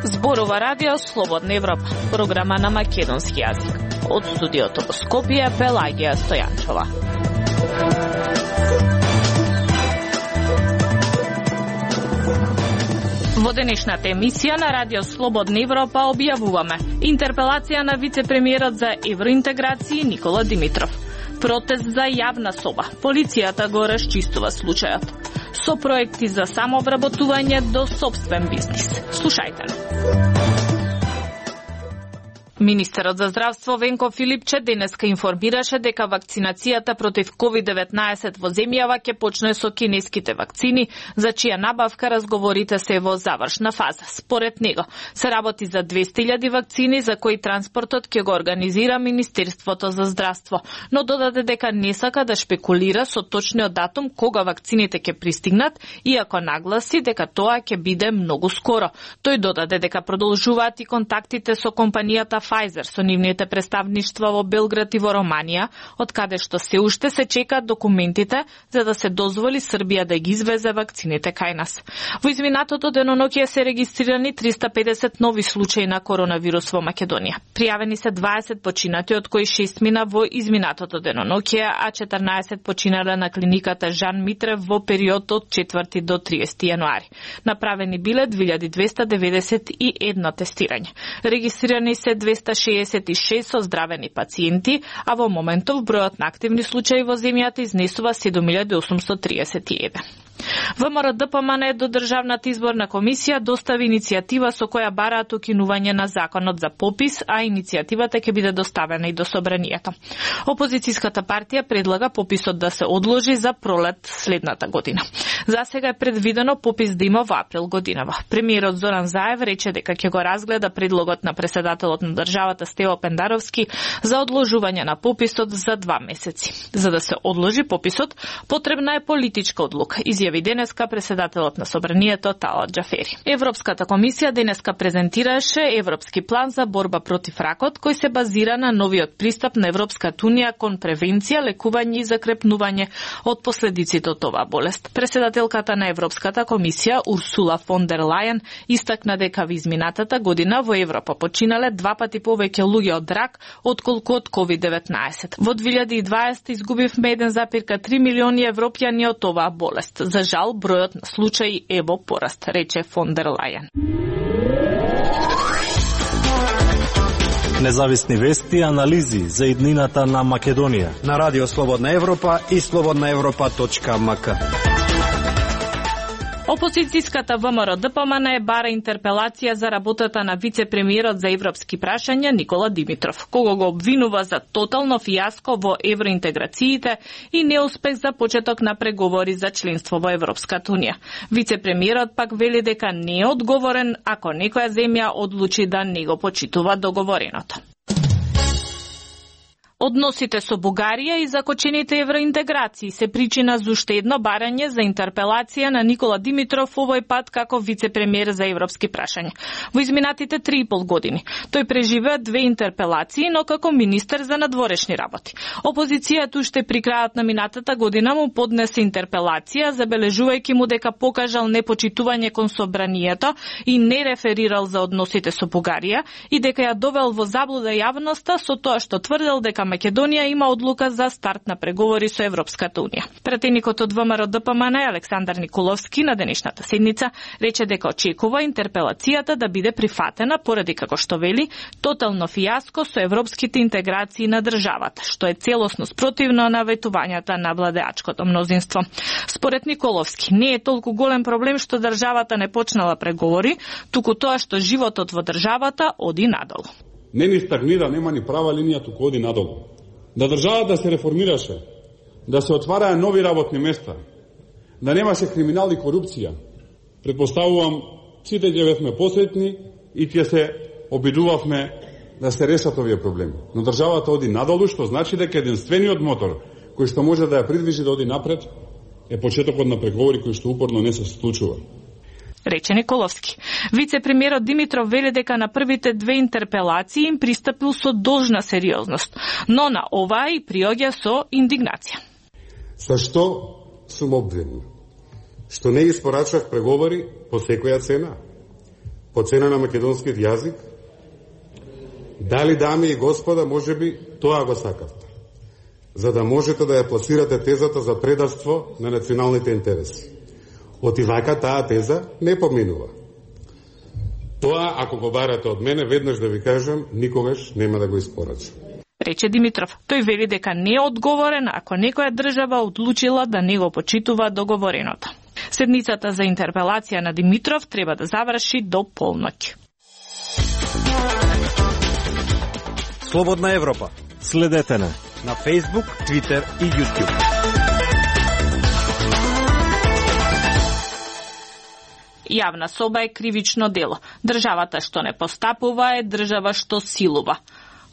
Зборува радио Слободна Европа, програма на македонски јазик. Од студиото во Скопје, Пелагија Стојанчова. Во денешната емисија на радио Слободна Европа објавуваме интерпелација на вице-премиерот за евроинтеграција Никола Димитров. Протест за јавна соба. Полицијата го расчистува случајот. Со проекти за самообработување до сопствен бизнис. Слушајте. Министерот за здравство Венко Филипче денеска информираше дека вакцинацијата против COVID-19 во земјава ќе почне со кинеските вакцини, за чија набавка разговорите се во завршна фаза. Според него се работи за 200.000 вакцини за кои транспортот ќе го организира Министерството за здравство, но додаде дека не сака да шпекулира со точниот датум кога вакцините ќе пристигнат, иако нагласи дека тоа ќе биде многу скоро. Тој додаде дека продолжуваат и контактите со компанијата Pfizer со нивните представништва во Белград и во Романија, од каде што се уште се чекаат документите за да се дозволи Србија да ги извезе вакцините кај нас. Во изминатото деноноќе се регистрирани 350 нови случаи на коронавирус во Македонија. Пријавени се 20 починати, од кои 6 мина во изминатото деноноќе, а 14 починале на клиниката Жан Митрев во период од 4 до 30 јануари. Направени биле 2291 тестирање. Регистрирани се 266 создравени пациенти, а во моментов бројот на активни случаи во земјата изнесува 7831. ВМРО ДПМН до Државната изборна комисија достави иницијатива со која бараат укинување на законот за попис, а иницијативата ќе биде доставена и до собранието. Опозицијската партија предлага пописот да се одложи за пролет следната година. За сега е предвидено попис да има во април годинава. Премиерот Зоран Заев рече дека ќе го разгледа предлогот на претседателот на државата Стево Пендаровски за одложување на пописот за 2 месеци. За да се одложи пописот, потребна е политичка одлука, изјави денеска претседателот на собранието Талат Џафери. Европската комисија денеска презентираше Европски план за борба против ракот, кој се базира на новиот пристап на Европската унија кон превенција, лекување и закрепнување од последиците од оваа болест. Председателката на Европската комисија Урсула фон дер Лајен истакна дека во изминатата година во Европа починале 2 пати повеќе луѓе од рак отколку од COVID-19. Во 2020 изгубивме 1,3 милиони европјани од оваа болест. За жал, бројот на случаи е во пораст, рече фон дер Лајен. Независни вести и анализи за иднината на Македонија на Радио Слободна Европа и slobodnaevropa.mk. Опозицијската ВМРО ДПМН бара интерпелација за работата на вице-премиерот за европски прашања Никола Димитров, кого го обвинува за тотално фијаско во евроинтеграциите и неуспех за почеток на преговори за членство во Европската унија. Вице-премиерот пак вели дека не е одговорен ако некоја земја одлучи да не го почитува договореното. Односите со Бугарија и закочените евроинтеграции се причина за уште едно барање за интерпелација на Никола Димитров, овој пат како вице-премиер за европски прашања. Во изминатите 3,5 години тој преживеа 2 интерпелации, но како министер за надворешни работи. Опозицијата уште при крајот на минатата година му поднесе интерпелација, забележувајќи му дека покажал непочитување кон собранието и не реферирал за односите со Бугарија и дека ја довел во заблуда јавноста со тоа што тврдел дека Македонија има одлука за старт на преговори со Европската унија. Пратеникот од ВМРО ДПМН Александар Николовски на денешната седница рече дека очекува интерпелацијата да биде прифатена поради, како што вели, тотално фијаско со европските интеграции на државата, што е целосно спротивно на ветувањата на владеачкото мнозинство. Според Николовски, не е толку голем проблем што државата не почнала преговори, туку тоа што животот во државата оди надолу. Не ни стагнира, нема ни права линија, туку оди надолу. Да државата се реформираше, да се отвараа нови работни места, да немаше криминал и корупција. Предпоставувам, сите ќе бевме посретни и ќе се обидувавме да се решат овие проблеми. Но државата оди надолу, што значи дека единствениот мотор кој што може да ја придвижи да оди напред е почетокот на преговори кои што упорно не се случува. рече Николовски. Вице-премиерот Димитров вели дека на првите две интерпелации им пристапил со должна сериозност, но на оваа и приоѓа со индигнација. Со што сум обвинен? Што не испорачав преговори по секоја цена? По цена на македонскиот јазик? Дали, дами и господа, можеби тоа го сакавте? За да можете да ја пласирате тезата за предавство на националните интереси. Отивака таа теза не поминува. Тоа, ако го барате од мене, веднаш да ви кажам, никогаш нема да го испорачам. Рече Димитров. Тој вели дека не е одговорен ако некоја држава одлучила да не го почитува договореното. Седницата за интерпелација на Димитров треба да заврши до полноќ. Слободна Европа. Следете на Facebook, Twitter и YouTube. Јавна соба е кривично дело. Државата што не постапува е држава што силува.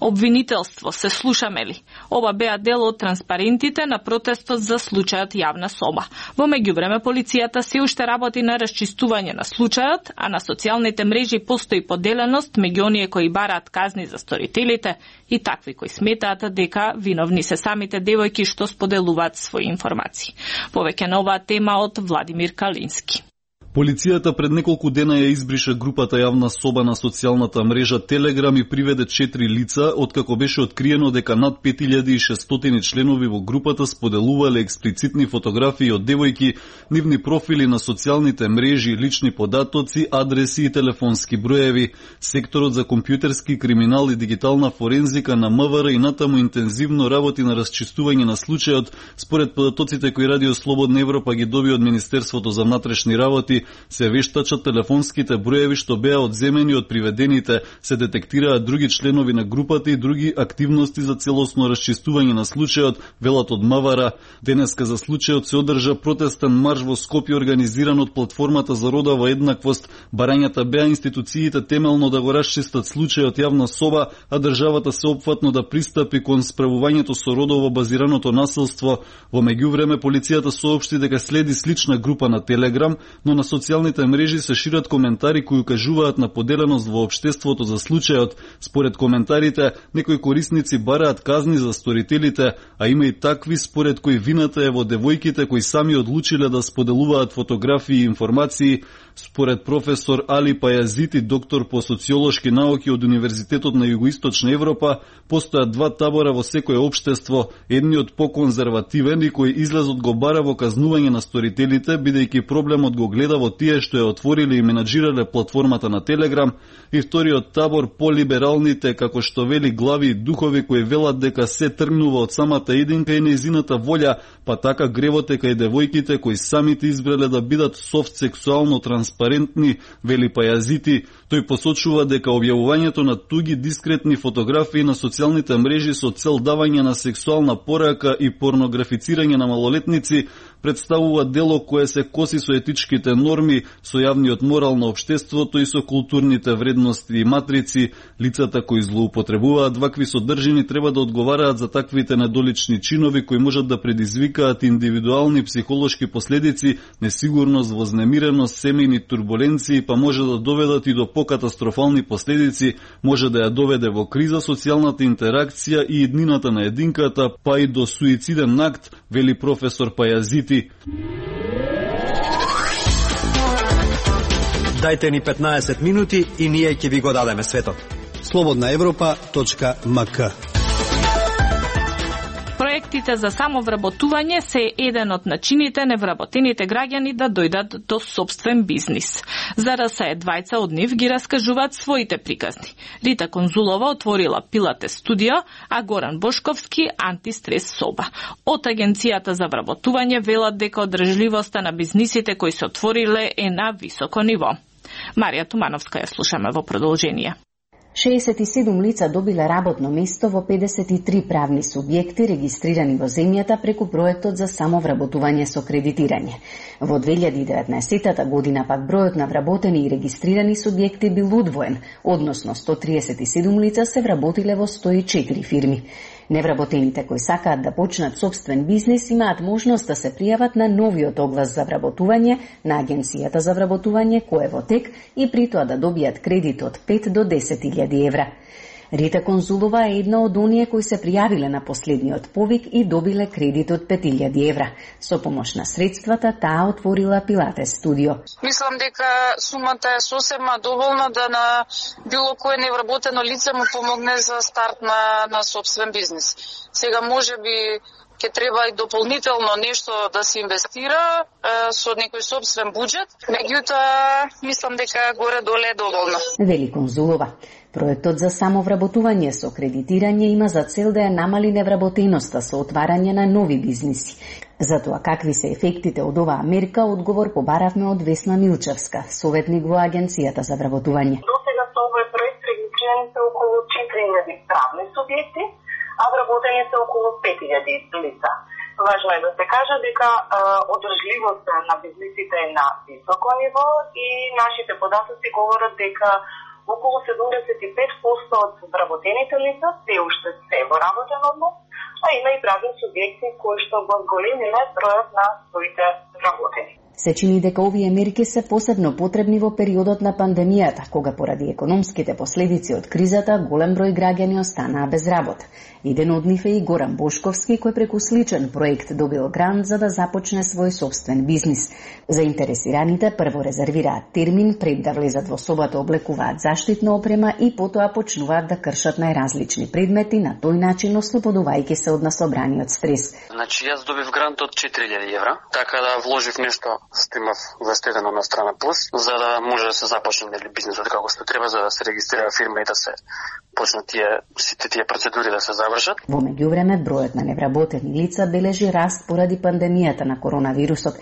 Обвинителство, се слушаме ли? Ова беа дел од транспарентите на протестот за случајот Јавна соба. Во меѓувреме полицијата се уште работи на расчистување на случајот, а на социјалните мрежи постои поделеност меѓу оние кои бараат казни за сторителите и такви кои сметаат дека виновни се самите девојки што споделуваат своји информации. Повеќе на оваа тема од Владимир Калински. Полицијата пред неколку дена ја избриша групата Јавна соба на социјалната мрежа Телеграм и приведе 4 лица, откако беше откриено дека над 5600 членови во групата споделувале експлицитни фотографии од девојки, нивни профили на социјалните мрежи, лични податоци, адреси и телефонски броеви. Секторот за компјутерски криминал и дигитална форензика на МВР и натаму интензивно работи на расчистување на случајот, според податоците кои Радио Слободна Европа ги доби од Министерството за внатрешни работи. Се вештачат телефонските броеви што беа одземени од приведените, се детектираат други членови на групата и други активности за целосно расчистување на случајот, велат од МВР. Денеска за случајот се одржа протестен марш во Скопје организиран од платформата за родова еднаквост. Барањата беа институциите темелно да го расчистат случајот Јавна соба, а државата се опфатно да пристапи кон справувањето со родово базираното насилство. Во меѓувреме полицијата соопшти дека следи слична група на Телеграм, но на социјалните мрежи се шират коментари кои укажуваат на поделеност во општеството за случајот. Според коментарите, некои корисници бараат казни за сторителите, а има и такви според кои вината е во девојките кои сами одлучиле да споделуваат фотографии и информации. Според професор Али Пајазити, доктор по социолошки науки од Универзитетот на Југоисточна Европа, постојат два табора во секое општество, едниот поконзервативен и кој излезот го бара во казнување на сторителите, бидејќи проблемот го гледа во тие што ја отвориле и менаџирале платформата на Телеграм, и вториот табор полибералните, како што вели глави и духови кои велат дека се тргнува од самата единка и нејзината волја, па така гревот е кај девојките кои самите избрале да бидат софт сексуално транспарентни, вели Пајазити. Тој посочува дека објавувањето на туги дискретни фотографии на социјалните мрежи со цел давање на сексуална порака и порнографицирање на малолетници представува дело кое се коси со етичките норми, со јавниот морал на општеството и со културните вредности и матрици. Лицата кои злоупотребуваат вакви содржини треба да одговараат за таквите недолични чинови кои можат да предизвикаат индивидуални психолошки последици, несигурност, вознемиреност, семејни турбуленции, па може да доведат и до покатастрофални последици, може да ја доведе во криза социјалната интеракција и иднината на единката, па и до суициден акт, вели професор Пајазити. Дајте ни 15 минути и ние ќе ви го дадеме светот. slobodnaevropa.mk. Проектите за самовработување се еден од начините невработените граѓани да дојдат до собствен бизнис. За РСЕ двајца од нив ги раскажуваат своите приказни. Рита Конзулова отворила пилатес студио, а Горан Бошковски антистрес соба. Од Агенцијата за вработување велат дека одржливоста на бизнисите кои се отвориле е на високо ниво. Марија Тумановска ја слушаме во продолжение. 67 лица добиле работно место во 53 правни субјекти регистрирани во земјата преку проектот за самовработување со кредитирање. Во 2019 година пак бројот на вработени и регистрирани субјекти бил удвоен, односно 137 лица се вработиле во 104 фирми. Невработените кои сакаат да почнат собствен бизнис имаат можност да се пријават на новиот оглас за вработување на Агенцијата за вработување кој е во тек и при тоа да добијат кредит од 5 до 10.000 евра. Рита Конзулова е една од оние кои се пријавиле на последниот повик и добиле кредит од 5.000 евра. Со помош на средствата, таа отворила пилатес студио. Мислам дека сумата е сосема доволна да на било кое невработено лице му помогне за старт на собствен бизнис. Сега можеби ќе треба и дополнително нешто да се инвестира со некој собствен буџет, меѓутоа мислам дека горе-доле е доволно. Вели Конзулова. Проектот за самовработување со кредитирање има за цел да ја намали невработеноста со отварање на нови бизниси. За тоа какви се ефектите од оваа мерка, одговор побаравме од Весна Милчевска, советник во Агенцијата за вработување. До сега со овој проект регистрирани се околу 4.000 правни субјекти, а вработени се околу 5.000 лица. Важно е да се каже дека одржливоста на бизнисите е на високо ниво и нашите податоци говорат дека околу 75% од вработените лица се уште се во работен однос, а има и правни субјекти кои што го зголемиле бројот на своите вработени. Се чини дека овие мерки се посебно потребни во периодот на пандемијата, кога поради економските последици од кризата голем број граѓани останаа без работа. Еден од нив е и Горан Бошковски, кој преку сличен проект добил грант за да започне свој собствен бизнис. Заинтересираните прво резервираат термин пред да влезат во собата, облекуваат заштитна опрема и потоа почнуваат да кршат најразлични предмети, на тој начин ослободувајќи се од насобраниот стрес. Значи јас добив грант од 4.000 евра, така да вложив нешто што имав вестедено на страна плюс, за да може да се започне бизнисот како што треба, за да се регистрира фирма и да се почнат сите тие процедури да се завршат. Во меѓувреме, бројот на невработени лица бележи раст поради пандемијата на коронавирусот.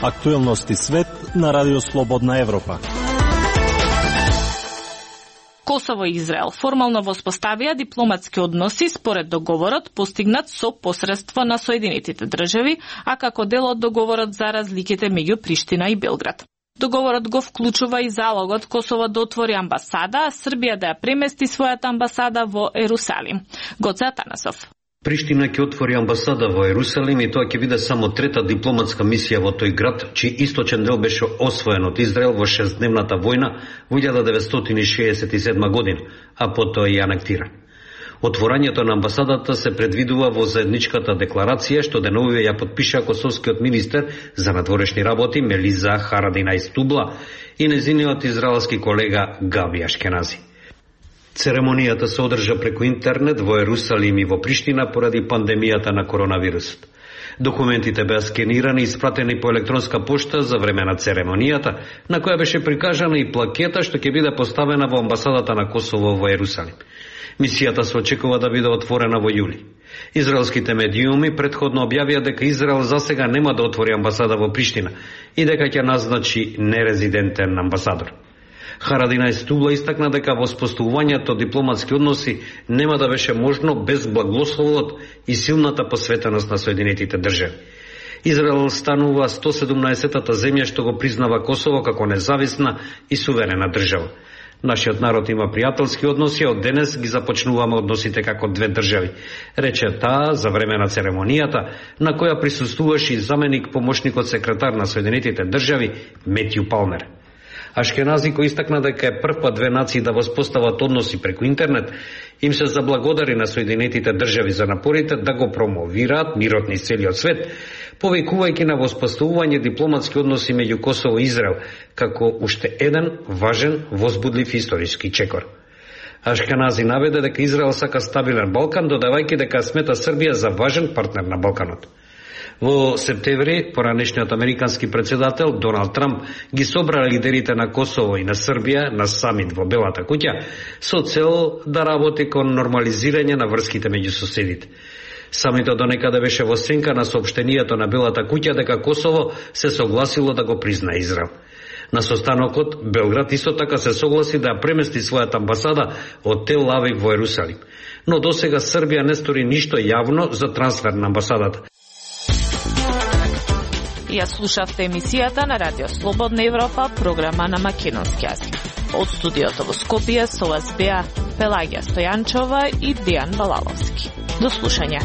Актуелности свет на Радио Слободна Европа. Косово и Израел формално воспоставија дипломатски односи според договорот постигнат со посредство на Соединетите држави, а како дел од договорот за разликите меѓу Приштина и Белград. Договорот го вклучува и залогот Косово да отвори амбасада, а Србија да ја премести својата амбасада во Ерусалим. Гоце Атанасов. Приштина ќе отвори амбасада во Ерусалим и тоа ќе биде само трета дипломатска мисија во тој град, чиј источен дел беше освоен од Израел во 6-дневната војна во 1967 година, а потоа и анектиран. Отворањето на амбасадата се предвидува во заедничката декларација што деновиве ја подпиша косовскиот министер за надворешни работи Мелиза Харадинaj Stubla и незиниот израелски колега Габи Ашкенази. Церемонијата се одржа преку интернет во Ерусалим и во Приштина поради пандемијата на коронавирусот. Документите беа скенирани и испратени по електронска пошта за време на церемонијата, на која беше прикажана и плакета што ќе биде поставена во амбасадата на Косово во Ерусалим. Мисијата се очекува да биде отворена во јули. Израелските медиуми претходно објавија дека Израел засега нема да отвори амбасада во Приштина и дека ќе назначи нерезидентен амбасадор. Харадинaj Stubla истакна дека воспоставувањето дипломатски односи нема да беше можно без благословот и силната посветеност на Соединетите држави. Израел станува 117-та земја што го признава Косово како независна и суверена држава. Нашиот народ има пријателски односи, од денес ги започнуваме односите како две држави, рече таа за време на церемонијата, на која присуствуваше и заменик помошникот секретар на Соединетите држави Метју Палмер. Ашкенази, кој истакна дека е прв пат две нации да воспостават односи преку интернет, им се заблагодари на Соединетите држави за напорите да го промовираат мирот низ целиот свет, повикувајќи на воспоставување дипломатски односи меѓу Косово и Израел, како уште еден важен, возбудлив историски чекор. Ашкенази наведе дека Израел сака стабилен Балкан, додавајќи дека смета Србија за важен партнер на Балканот. Во септември, поранешниот американски председател Доналд Трамп ги собра лидерите на Косово и на Србија на самит во Белата куќа со цел да работи кон нормализирање на врските меѓу соседите. Самитот донекаде беше во сенка на соопштението на Белата куќа дека Косово се согласило да го признае Израел. На состанокот, Белград исто така се согласи да премести својата амбасада од Тел Авив во Ерусалим. Но досега Србија не стори ништо јавно за трансфер на амбасадата. Ја слушавте емисијата на Радио Слободна Европа, програма на македонски јазик. Од студиото во Скопје со вас беа Пелагија Стојанчова и Дејан Балаловски. До слушање.